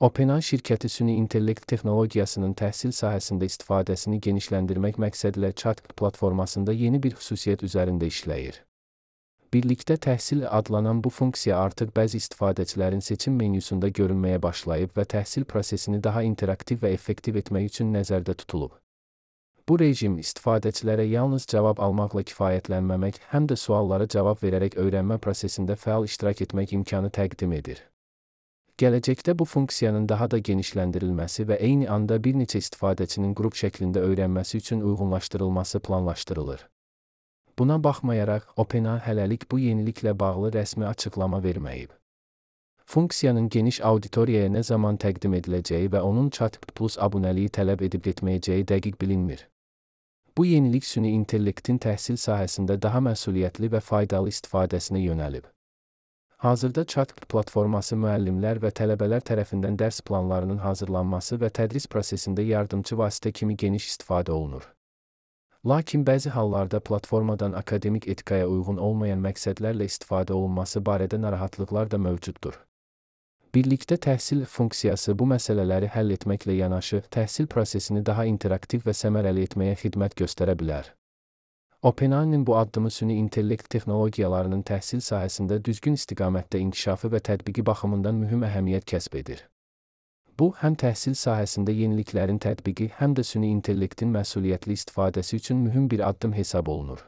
OpenAI şirkəti süni intellekt texnologiyasının təhsil sahəsində istifadəsini genişləndirmək məqsədilə ChatGPT platformasında yeni bir xüsusiyyət üzərində işləyir. Birlikdə təhsil adlanan bu funksiya artıq bəzi istifadəçilərin seçim menyusunda görünməyə başlayıb və təhsil prosesini daha interaktiv və effektiv etmək üçün nəzərdə tutulub. Bu rejim istifadəçilərə yalnız cavab almaqla kifayətlənməmək, həm də suallara cavab verərək öyrənmə prosesində fəal iştirak etmək imkanı təqdim edir. Gələcəkdə bu funksiyanın daha da genişləndirilməsi və eyni anda bir neçə istifadəçinin qrup şəklində öyrənməsi üçün uyğunlaşdırılması planlaşdırılır. Buna baxmayaraq, OpenAI hələlik bu yeniliklə bağlı rəsmi açıqlama verməyib. Funksiyanın geniş auditoriyaya nə zaman təqdim ediləcəyi və onun ChatGPT Plus abunəliyi tələb edib etməyəcəyi dəqiq bilinmir. Bu yenilik süni intellektin təhsil sahəsində daha məsuliyyətli və faydalı istifadəsinə yönəlib. Hazırda ChatGPT platforması müəllimlər və tələbələr tərəfindən dərs planlarının hazırlanması və tədris prosesində yardımçı vasitə kimi geniş istifadə olunur. Lakin bəzi hallarda platformadan akademik etikaya uyğun olmayan məqsədlərlə istifadə olunması barədə narahatlıqlar da mövcuddur. Birlikdə təhsil funksiyası bu məsələləri həll etməklə yanaşı, təhsil prosesini daha interaktiv və səmərəli etməyə xidmət göstərə bilər. OpenAI-nin bu addımı süni intellekt texnologiyalarının təhsil sahəsində düzgün istiqamətdə inkişafı və tətbiqi baxımından mühüm əhəmiyyət kəsb edir. Bu, həm təhsil sahəsində yeniliklərin tətbiqi, həm də süni intellektin məsuliyyətli istifadəsi üçün mühüm bir addım hesab olunur.